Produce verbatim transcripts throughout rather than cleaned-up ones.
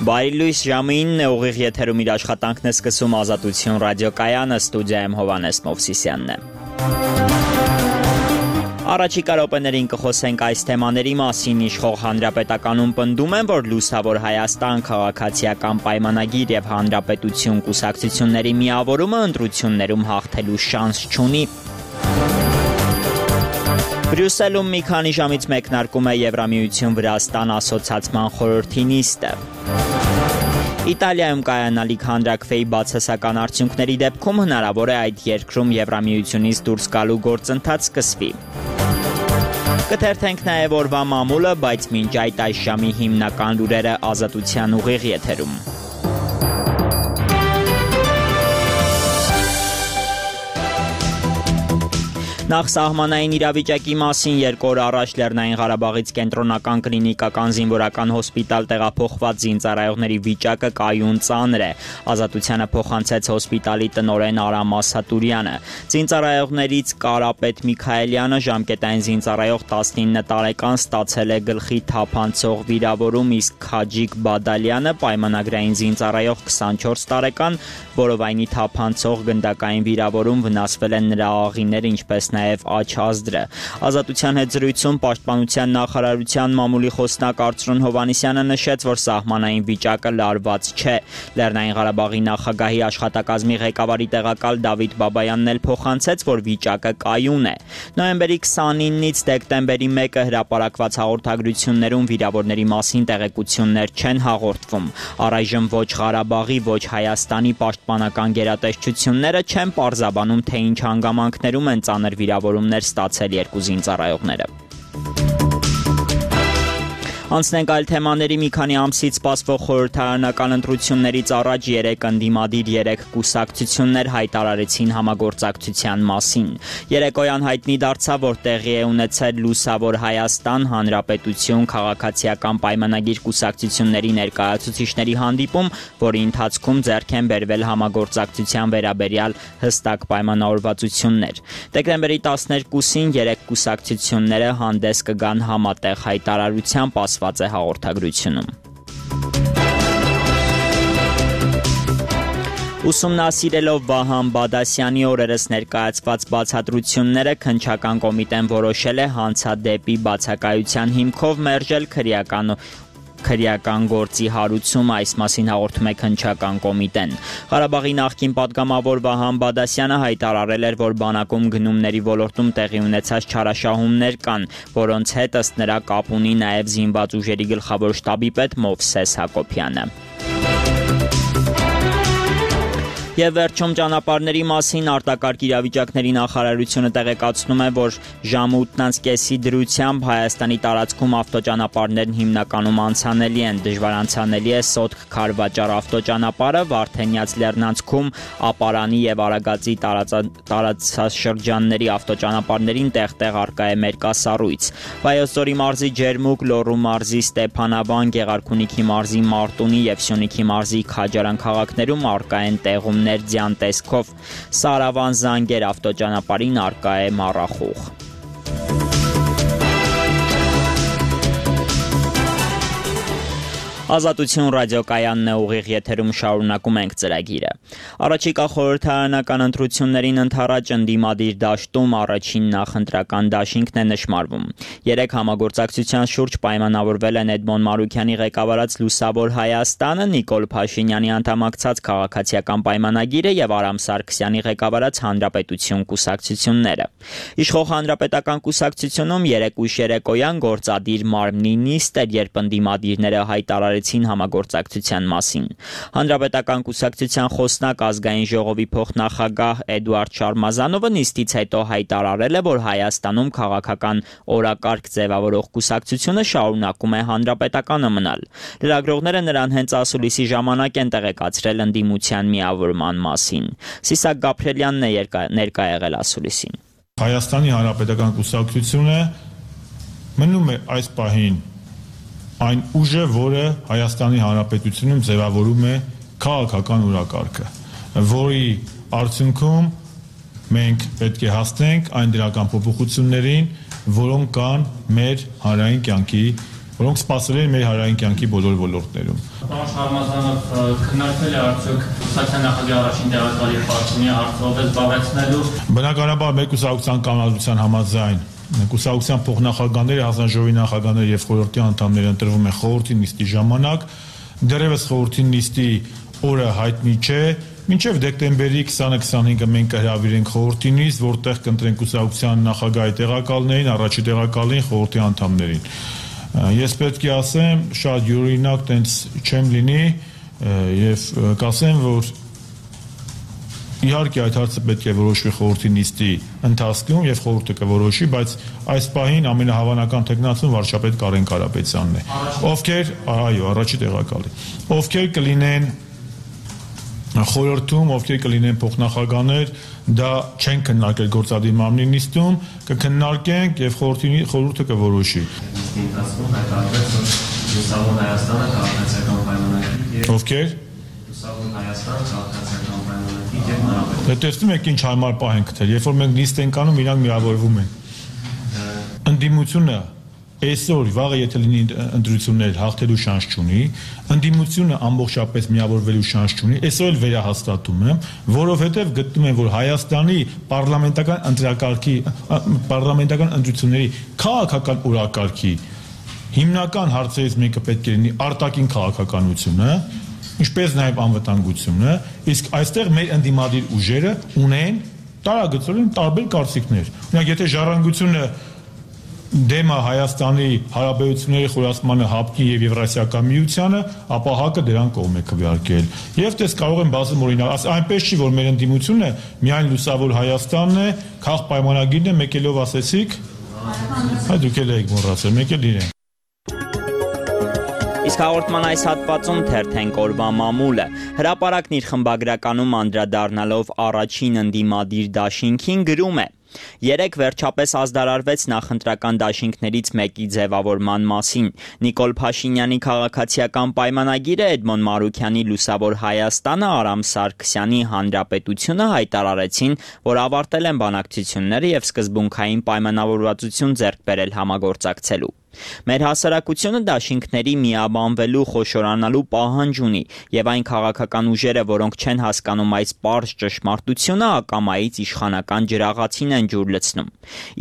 Բարի լույս, ժամը ինն է, ուղիղ եթերում իր աշխատանքն է սկսում Ազատություն ռադիոկայանը, ստուդիայում Հովհաննես Մովսիսյանն է։ Առաջիկա րոպեներին կխոսենք այս թեմաների մասին։ Իշխող հանրապետականում պնդում են, որ Լուսավոր Հայաստան քաղաքացիական պայմանագիր եւ հանրապետություն կուսակցությունների միավորումը ընտրություններում հաղթելու շանս չունի։ Բրյուսելում մի քանի ժամից մեկնարկում է Եվրամիություն Վրաստան ասոցացման խորհրդի նիստը։ Իտալիայում կայանալիք հանրաքվեի բացասական արդյունքների դեպքում հնարավոր է այդ երկրում Եվրամիությունից դուրս գալու գործընթաց սկսվի։ Կթերթենք նաև օրվա մամուլը, բայց մինչ այդ այս ժամի հիմնական լուրերը Ազատության ուղիղ եթերում։ Նախ սահմանային իրավիճակի մասին երկու օր առաջ Լեռնային Ղարաբաղից կենտրոնական կլինիկական զինվորական հոսպիտալ տեղափոխված զինծառայողների վիճակը կայուն ծանր է։ Ազատությանը փոխանցեց հոսպիտալի տնօրեն Արամ Ասատուրյանը։ Զինծառայողներից Կարապետ Միքայելյանը ժամկետային զինծառայող տասնինը տարեկան ստացել է գլխի թափանցող վիրավորում, իսկ Քաջիկ Բադալյանը պայմանագրային զինծառայող քսանչորս տարեկան որովայնի թափանցող գնդակային վիրավորում, վնասվել են նրա աղիները, ինչպես նաև աջ ազդրը։ Ազատության հետ զրույցում Պաշտպանության նախարարության մամուլի խոսնակ Արծրուն Հովհաննիսյանը նշեց, որ սահմանային վիճակը լարված չէ։ Լեռնային Ղարաբաղի նախագահի աշխատակազմի ղեկավարի տեղակալ Դավիթ Բաբայանն էլ փոխանցեց, որ վիճակը կայուն է։ Նոյեմբերի քսանինից դեկտեմբերի մեկը հրապարակված հաղորդագրություններում վիրավորների մասին տեղեկություններ չեն հաղորդվում։ Առայժմ ոչ Ղարաբաղի, ոչ Հայաստանի պաշտպանական գերատեսչությունները չեն պարզաբանում, թե ինչ հանգամանքներում են ծանր վիրավորումներ ստացել երկու զինծառայողները։ Անցնենք այլ թեմաների։ Մի քանի ամսից սպասվող խորհրդարանական ընտրություններից առաջ երեք ընդդիմադիր երեք կուսակցություններ հայտարարեցին համագործակցության մասին։ Երեկոյան հայտնի դարձավ, որ տեղի է ունեցել Լուսավոր Հայաստան Հանրապետություն քաղաքացիական պայմանագիր կուսակցությունների ներկայացուցիչների հանդիպում, որի ընթացքում ձեռք են բերվել համագործակցության վերաբերյալ հստակ պայմանավորվածություններ։ Դեկտեմբերի տասներկուսին երեք կուսակցությունները հանդես կգան համատեղ հայտարարությամբ, ասված է հաղորդագրությունում։ Ուսումնասիրելով Վահան Բադասյանի օրերս ներկայացված բացատրությունները, քննչական կոմիտեն որոշել է հանցադեպի բացակայության հիմքով մերժել քրեական քրեական գործի հարուցումը, այս մասին հաղորդում է քննչական կոմիտեն։ Ղարաբաղի նախկին պատգամավոր Վահան Բադասյանը հայտարարել էր, որ բանակում գնումների ոլորտում տեղի ունեցած չարաշահումներ կան, որոնց հետ ըստ նրա կապ ունի նաև զինված ուժերի գլխավոր շտաբի պետ Մովսես Հակոբյանը։ Եվ վերջում ճանապարհների մասին արտակարգ իրավիճակների նախարարությունը տեղեկացնում է, որ ժամը ութ կեսի դրությամբ Հայաստանի տարածքում ավտոճանապարհներն հիմնականում անցանելի են։ Դժվար անցանելի է Սոտք-Քարվաճար ավտոճանապարհը, Վարդենյաց լեռնանցքում Ապարանի եւ Արագածի տարածաշրջանների ավտոճանապարհներին տեղ-տեղ առկա է մերկասառույց։ Վայոց ձորի մարզի Ջերմուկ, Լոռու մարզի Ստեփանավան, Գեղարքունիքի մարզի Մարտունի եւ Սյունիքի մարզի Քաջարան քաղաքներում առկա են տեղում ներձյան տեսքով, Սարավան Զանգեր ավտոճանապարհին առկա է մառախուղ։ Ազատություն ռադիոկայանն է, ուղիղ եթերում շարունակում ենք ծրագիրը։ Առաջիկա խորհրդարանական ընտրություններին ընդառաջ ընդդիմադիր դաշտում առաջին նախընտրական դաշինքն է նշմարվում։ Երեք համագործակցության շուրջ պայմանավորվել են Էդմոն Մարուքյանի ղեկավարած Լուսավոր Հայաստանը, Նիկոլ Փաշինյանի անդամակցած քաղաքացիական պայմանագիրը եւ Արամ Սարգսյանի ղեկավարած Հանրապետություն կուսակցությունները։ Իշխող Հանրապետական կուսակցությունում երեք ուշ երեկոյան գործադիր մարմնի նիստ էր, երբ ընդդիմադիրները հայտարարեցին համագործակցության մասին։ Հանրապետական կուսակցության խոսնակ ազգային ժողովի փոխնախագահ Էդուարդ Շարմազանովը նիստից հետո հայտարարել է, որ Հայաստանում քաղաքական օրակարգ ձևավորող կուսակցությունը շարունակում է հանրապետականը մնալ։ Լրագրողները նրան հենց ասուլիսի ժամանակ են տեղեկացրել ընդդիմության միավորման մասին։ Սիսակ Գաբրելյանն է ներկա եղել ասուլիսին։ Հայաստանի Հանրապետական կուսակցությունը մնում է այս պահին այն ուժը, որը Հայաստանի Հանրապետությունում ձևավորում է քաղաքական օրակարգը, որի արդյունքում մենք պետք է հասնենք այն դրական փոփոխություններին, որոնք կան մեր հանրային կյանքի որոնք սպասել են մեր հանրային կյանքի բոլոր ոլորտներում։ Պարոն Շարմազանով, քննարկվել է արդյոք կուսակցության նախագահի առաջին տեղակալի պաշտոնի հարցով զբաղեցնելու։ Բնականաբար մեր կուսակցության կանոնադրության համաձայն կուսակցության փոխնախագահները, հանձնաժողովի նախագահները եւ խորհրդի անդամները ընտրվում են խորհրդի նիստի ժամանակ, դեռևս խորհրդի նիստի օրը հայտնի չէ, մինչև դեկտեմբերի քսանը քսանհինգը մենք կհրավիրենք խորհրդի նիստ, որտեղ կընտրենք կուսակցության նախագահի տեղակալներին, առաջի տեղակալին, խորհրդի անդամներին։ Ես պետք է ասեմ, շատ յուրօրինակ տենց չեմ լինի եւ կասեմ, որ իհարկե այդ հարցը պետք է որոշվի խորհրդի նիստի ընթացքում եւ խորհուրդը կորոշի, բայց այս պահին ամենահավանական տեխնացուն վարչապետ Կարեն Կարապետյանն է, ովքեր, այո, առաջի տեղակալի, ովքեր կլինեն խորհրդում, ովքեր կլինեն փոխնախագահներ, դա չեն քննարկել գործադիր մարմնի նիստում, կքննարկենք եւ խորհրդի խորհուրդը կորոշի։ Նիստի ընթացքում հայտարարվեց, որ Լուսավոր Հայաստանը քաղաքացիական պայմանագրի եւ Ովքեր Լուսավոր Հայաստանը քաղաքացիական պայմանագրի եւ նորաբեր։ Դե տեսնում եք ինչ հարմար պահ են գտել, երբ որ մենք նիստ ենք անում, իրանք միավորվում են։ Ընդդիմությունը այսօր վաղը եթե լինի ընտրություններ հաղթելու շանս չունի, ընդդիմությունը ամբողջապես միավորվելու շանս չունի, այսօր էլ վերահաստատում եմ, որովհետև գտնում եմ, որ Հայաստանի պարլամենտական ընտրակարգի պարլամենտական ընտրությունների քաղաքական օրակարգի հիմնական հարցերից մեկը պետք է լինի արտաքին քաղաքականությունը, ինչպես նաև անվտանգությունը, իսկ այստեղ մեր ընդդիմադիր ուժերը ունեն տարագծորեն տարբեր կարծիքներ։ Օրինակ, եթե ժառանգությունը դեմը Հայաստանի հարաբերությունների խորացմանը ՀԱՊԿ-ի եւ Եվրասիական միությանը, ապա ՀԱԿ-ը դրան կողմ է քվեարկել։ Եվ դες կարող են բազում օրինակ, այնպես չի, որ մեր ընդդիմությունը միայն Լուսավոր Հայաստանն է, քաղ պայմանագիրն է, մեկելով ասեցիք, այ դուք էլ եք մոռացել, մեկ էլ իրեն։ Իսկ հաղորդման այս հատվածում թերթենք օրվա մամուլը։ Հրապարակն իր խմբագրականում անդրադառնալով առաջին ընդդիմադիր դաշինքին գրում է. Երեկ վերջապես ազդարարվեց նախընտրական դաշինքներից մեկի ձևավորման մասին։ Նիկոլ Փաշինյանի քաղաքացիական պայմանագիրը, Էդմոն Մարուքյանի Լուսավոր Հայաստանը, Արամ Սարգսյանի Հանրապետությունը հայտարարեցին, որ ավարտել են բանակցությունները եւ սկզբունքային պայմանավորվածություն ձեռք բերել համագործակցելու։ Մեր հասարակությունը դաշինքների միաբանվելու խոշորանալու պահանջ ունի եւ այն քաղաքական ուժերը, որոնք չեն հասկանում այս պարզ ճշմարտությունը, ակամայից իշխանական ջրաղացին են ջուր լցնում։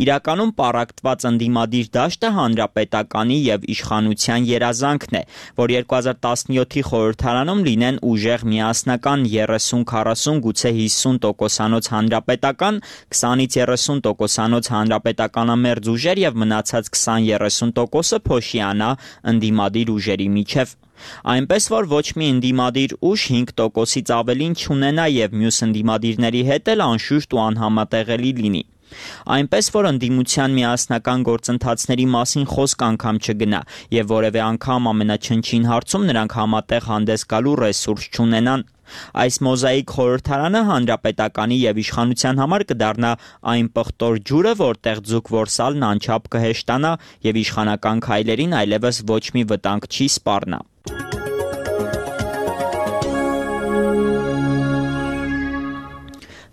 Իրականում պառակտված ընդդիմադիր դաշտը հանրապետականի եւ իշխանության երազանքն է, որ երկու հազար տասնյոթի խորհրդարանում լինեն ուժեղ միասնական երեսուն քառասուն գուցե հիսուն տոկոսանոց հանրապետական, քսանից երեսուն տոկոսանոց հանրապետականամերձ ուժեր եւ մնացած քսան երեսուն տոկոսը փոշիանա ընդդիմադիր ուժերի միջև։ Այնպես որ ոչ մի ընդդիմադիր ուժ հինգ տոկոսից ավելին չունենա եւ մյուս ընդդիմադիրների հետ էլ անշուշտ ու անհամատեղելի լինի։ Այնպես որ ընդդիմության միասնական գործընթացների մասին խոսք անգամ չգնա եւ որևէ անգամ ամենաչնչին հարցում նրանք համատեղ հանդես գալու ռեսուրս չունենան։ Այս մոզաիկ խորհրդարանը հանրապետականի եւ իշխանության համար կդառնա այն պղտոր ջուրը, որտեղ ձուկ որսալն անչափ կհեշտանա եւ իշխանական քայլերին այլևս ոչ մի վտանգ չի սպառնա։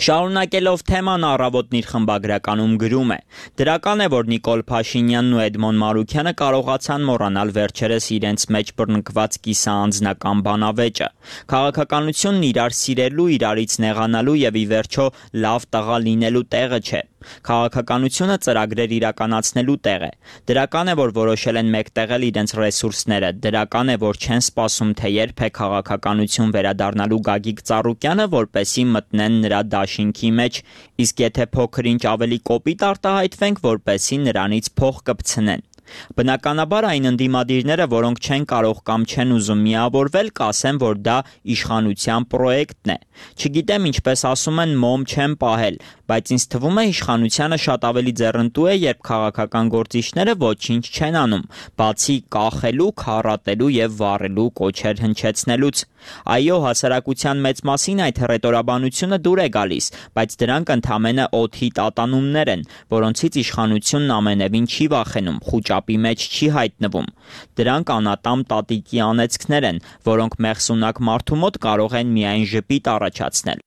Շարունակելով թեման առավոտն իր խմբագրականում գրում է. Դրական է, որ Նիկոլ Փաշինյանն ու Էդմոն Մարուքյանը կարողացան մոռանալ վերջերս իրենց մեջ բռնկված կիսաանձնական բանավեճը։ Քաղաքականությունն իրար սիրելու, իրարից նեղանալու եւ ի վերջո լավ տղա լինելու տեղը չէ։ Քաղաքականությունը ծրագրեր իրականացնելու տեղ է։ Դրական է, որ որոշել են մեկտեղել իրենց ռեսուրսները։ Դրական է, որ չեն սպասում, թե երբ է քաղաքականություն վերադառնալու Գագիկ Ծառուկյանը, որպեսզի մտնեն նրա դաշինքի մեջ, իսկ եթե փոքր-ինչ ավելի կոպիտ արտահայտվենք, որպեսզի նրանից փող կպցնեն։ Բնականաբար այն ընդդիմադիրները, որոնք չեն կարող կամ չեն ուզում միավորվել, կասեն, որ դա իշխանության պրոյեկտն է։ Չգիտեմ, ինչպես ասում են, մոմ չեն պահել, բայց ինձ թվում է իշխանությանը շատ ավելի ձեռնտու է, երբ քաղաքական գործիչները ոչինչ չեն անում, բացի կախելու, քառատելու եւ վառելու կոչեր հնչեցնելուց։ Այո, հասարակության մեծ մասին այդ հռետորաբանությունը դուր է գալիս, բայց դրանք ընդամենը օդի տատանումներ են, որոնցից իշխանությունն ամենևին չի վախենում, խուճապի մեջ չի հայտնվում։ Դրանք անատամ տատիկի անեծքներ են, որոնք մեղսունակ մարդու մոտ կարող են միայն ժպիտ առաջացնել։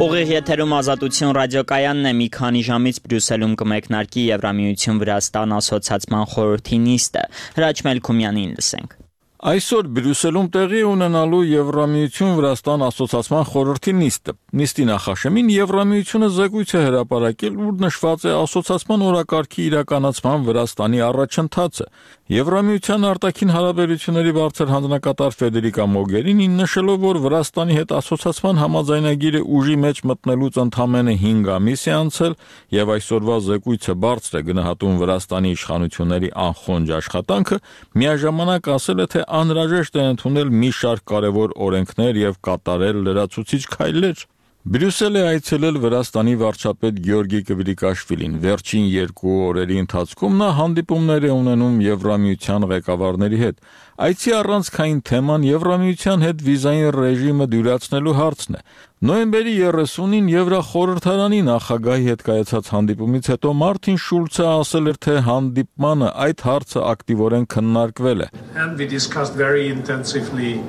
Ուղիղ եթերում Ազատություն ռադիոկայանն է, մի քանի ժամից Բրյուսելում կմեկնարկի Եվրամիություն Վրաստան ասոցիացման խորհրդի նիստը։ Հրաչ Մելքումյանին լսենք։ Այսօր Բրյուսելում տեղի ունենալու Եվրամիություն Վրաստան ասոցիացման խորհրդի նիստը։ Նիստի նախաշեմին Եվրամիությունը զեկույց է հրապարակել, ուր նշված է ասոցիացման օրակարգի իրականացման Վրաստանի առաջընթացը։ Եվրամիության արտաքին հարաբերությունների բարձր հանձնակատար Ֆեդերիկա Մոգերինին նշելով, որ Վրաստանի հետ ասոցիացման համաձայնագիրը ուժի մեջ մտնելուց ընդամենը հինգ ամիս է անցել եւ այսօրվա զեկույցը բարձր է գնահատում Վրաստանի իշխանությունների անխոնջ աշխատանքը, միաժամանակ ասել է, թե անհրաժեշտ է ընդունել մի շարք կարևոր օրենքներ եւ կատարել լրացուցիչ քայլեր։ Բրյուսել է այցելել Վրաստանի վարչապետ Գյորգի Կվրիկաշվիլին։ Վերջին երկու օրերի ընթացքում նա հանդիպումներ է ունենում Եվրամիության ղեկավարների հետ։ Այցի առանցքային թեման Եվրամիության հետ վիզային ռեժիմը դյուրացնելու հարցն է։ Նոյեմբերի երեսունին Եվրախորհրդարանի նախագահի հետ կայացած հանդիպումից հետո Մարտին Շուլցը ասել էր, թե հանդիպմանը այդ հարցը ակտիվորեն քննարկվել է։ And we discussed very intensively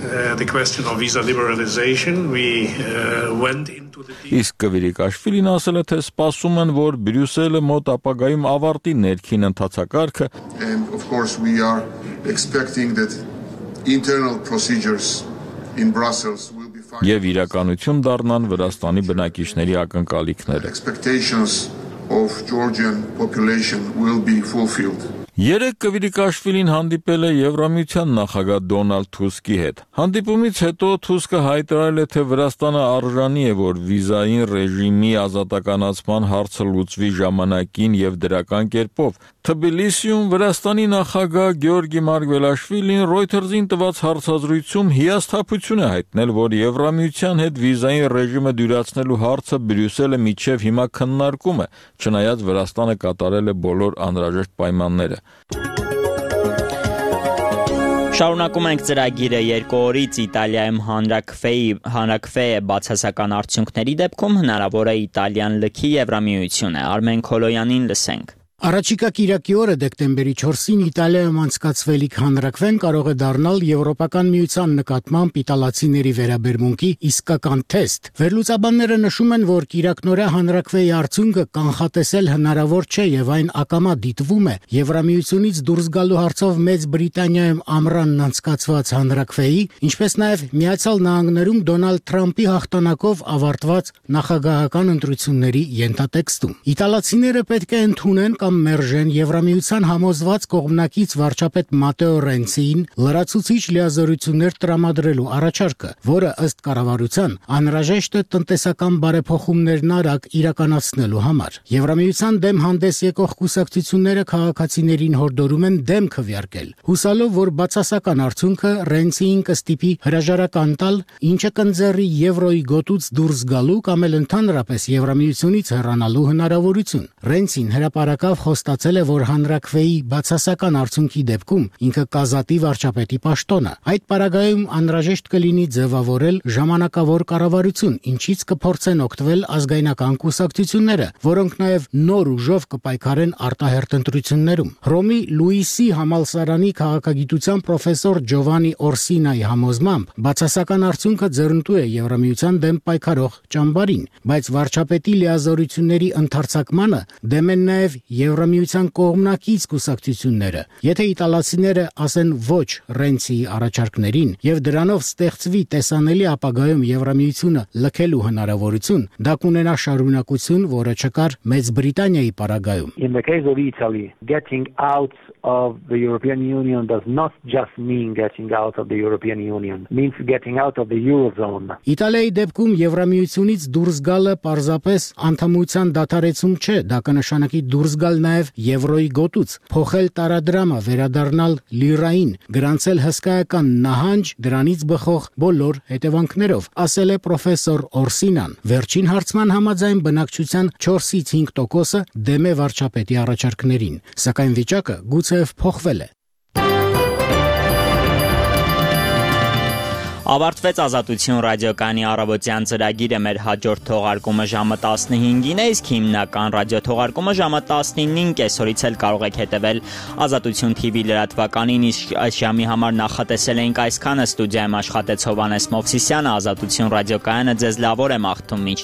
Uh, the question of visa liberalization. We uh, went into the Իսկ Կվիրիկաշվիլին ասել է, թե սպասում են, որ Բրյուսելը մոտ ապագայում ավարտի ներքին ընթացակարգը։ And of course we are expecting that internal procedures in Brussels will be fine. Եվ իրականություն դառնան Վրաստանի բնակիչների ակնկալիքները։ Expectations of Georgian population will be fulfilled. Երեկ Կվիրիկաշվիլին հանդիպել է Եվրամիության նախագահ Դոնալդ Թուսկի հետ։ Հանդիպումից հետո Թուսկը հայտարարել է, թե Վրաստանը արժանի է, որ վիզային ռեժիմի ազատականացման հարցը լուծվի ժամանակին եւ դրական կերպով։ Թբիլիսիում Վրաստանի նախագահ Գյորգի Մարգվելաշվիլին Reuters-ին տված հարցազրույցում հիասթափություն է հայտնել, որ Եվրամիության հետ վիզային ռեժիմը դյուրացնելու հարցը Բրյուսելը միջև հիմա քննարկում է, չնայած Վրաստանը կատարել է բոլոր անհրաժեշտ պայմանները։ Շարունակում ենք ծրագիրը երկու օրից Իտալիայում հանրաքվեի հանրաքվե բացասական արդյունքների դեպքում հնարավոր է Իտալիան լքի Եվրամիությունը։ Արմեն Քոլոյանին լսենք։ Առաջիկա կիրակի օրը դեկտեմբերի չորսին Իտալիայում անցկացվելիք հանրաքվեն կարող է դառնալ Եվրոպական միության նկատմամբ իտալացիների վերաբերմունքի իսկական թեստ։ Վերլուծաբանները նշում են, որ կիրակնօրյա հանրաքվեի արդյունքը կանխատեսել հնարավոր չէ եւ այն ակամա դիտվում է Եվրամիությունից դուրս գալու հարցով Մեծ Բրիտանիայում ամռանն անցկացված հանրաքվեի, ինչպես նաեւ Միացյալ Նահանգներում Դոնալդ Թրամփի հաղթանակով ավարտված նախագահական ընտրությունների ենթատեքստում։ Իտալացիները պետք է ընդունեն մերժեն Եվրամիության համոզված կողմնակից վարչապետ Մատեո Ռենցիին լրացուցիչ լիազորություններ տրամադրելու առաջարկը, որը ըստ կառավարության անհրաժեշտ է տնտեսական բարեփոխումներն արագ իրականացնելու համար։ Եվրամիության դեմ հանդես եկող կուսակցությունները քաղաքացիներին հորդորում են դեմ քվեարկել, հուսալով, որ բացասական արդյունքը Ռենցիին կստիպի հրաժարական տալ, ինչը կընձեռի եվրոյի գոտուց դուրս գալու կամ էլ ընդհանրապես Եվրամիությունից հեռանալու հնարավորություն։ Ռենցին հրապարակավ խոստացել է, որ հանրաքվեի բացասական արդյունքի դեպքում ինքը կազատի վարչապետի պաշտոնը։ Այդ պարագայում անհրաժեշտ կլինի ձևավորել ժամանակավոր կառավարություն, ինչից կփորձեն օգտվել ազգայնական կուսակցությունները, որոնք նաև նոր ուժով կպայքարեն արտահերթ ընտրություններում։ Հռոմի Լուիսի համալսարանի քաղաքագիտության պրոֆեսոր Ջովանի Օրսինայի համոզմամբ բացասական արդյունքը ձեռնտու է Եվրամիության դեմ պայքարող ճամբարին, բայց վարչապետի լիազորությունների ընդարձակմանը դեմ են նաև Եվրամիության կողմնակից կուսակցությունները։ Եթե իտալացիները ասեն ոչ Ռենցիի առաջարկներին եւ դրանով ստեղծվի տեսանելի ապագայում Եվրամիությունը լքելու հնարավորություն, դա կունենա շարունակություն, որը չկար Մեծ Բրիտանիայի պարագայում։ In the case of Italy, getting out of the European Union does not just mean getting out of the European Union, means getting out of the Eurozone. Իտալիայի դեպքում Եվրամիությունից դուրս գալը պարզապես անդամության դադարեցում չէ, դա կնշանակի դուրս գալ նաև եվրոյի գոտուց, փոխել տարադրամը, վերադառնալ լիրային, գրանցել հսկայական նահանջ, դրանից բխող բոլոր հետևանքներով, ասել է պրոֆեսոր Օրսինան։ Վերջին հարցման համաձայն բնակչության չորսից հինգ տոկոսը դեմ է վարչապետի առաջարկներին, սակայն վիճակը գուցեև փոխվել է։ Ավարտվեց Ազատություն ռադիոկայանի առավոտյան ծրագիրը, մեր հաջորդ թողարկումը ժամը տասնհինգին է, իսկ հիմնական ռադիոթողարկումը ժամը տասնինին կեսօրից էլ կարող եք հետևել Ազատություն թի վի լրատվականին, իսկ այս ժամի համար նախատեսել էինք այսքանը։ Ստուդիայում աշխատեց Հովհաննես Մովսիսյանը, Ազատություն ռադիոկայանը ձեզ լավ օր է մաղթում մինչ